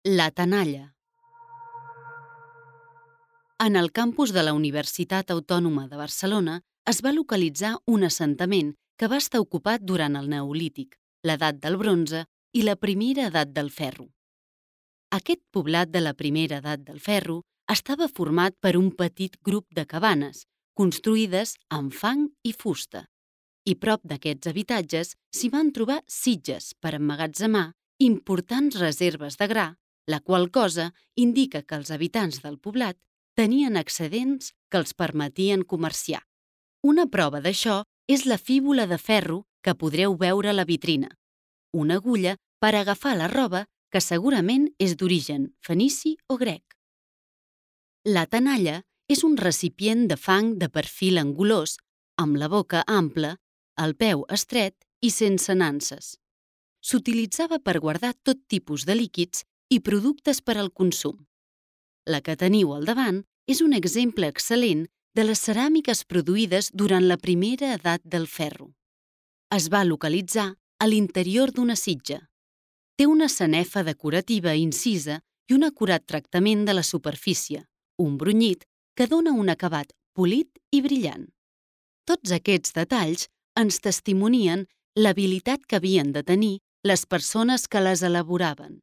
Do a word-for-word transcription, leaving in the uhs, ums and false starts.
La tenalla. En el campus de la Universitat Autònoma de Barcelona es va localitzar un assentament que va estar ocupat durant el Neolític, l'edat del bronze i la primera edat del ferro. Aquest poblat de la primera edat del ferro estava format per un petit grup de cabanes, construïdes amb fang i fusta. I prop d'aquests habitatges s'hi van trobar sitges per emmagatzemar importants reserves de gra, la qual cosa indica que els habitants del poblat tenien excedents que els permetien comerciar. Una prova d'això és la fíbula de ferro que podreu veure a la vitrina, una agulla per agafar la roba que segurament és d'origen fenici o grec. La tenalla és un recipient de fang de perfil angulós, amb la boca ampla, el peu estret i sense nanses. S'utilitzava per guardar tot tipus de líquids i productes per al consum. La que teniu al davant és un exemple excel·lent de les ceràmiques produïdes durant la primera edat del ferro. Es va localitzar a l'interior d'una sitja. Té una sanefa decorativa incisa i un acurat tractament de la superfície, un brunyit que dona un acabat polit i brillant. Tots aquests detalls ens testimonien l'habilitat que havien de tenir les persones que les elaboraven.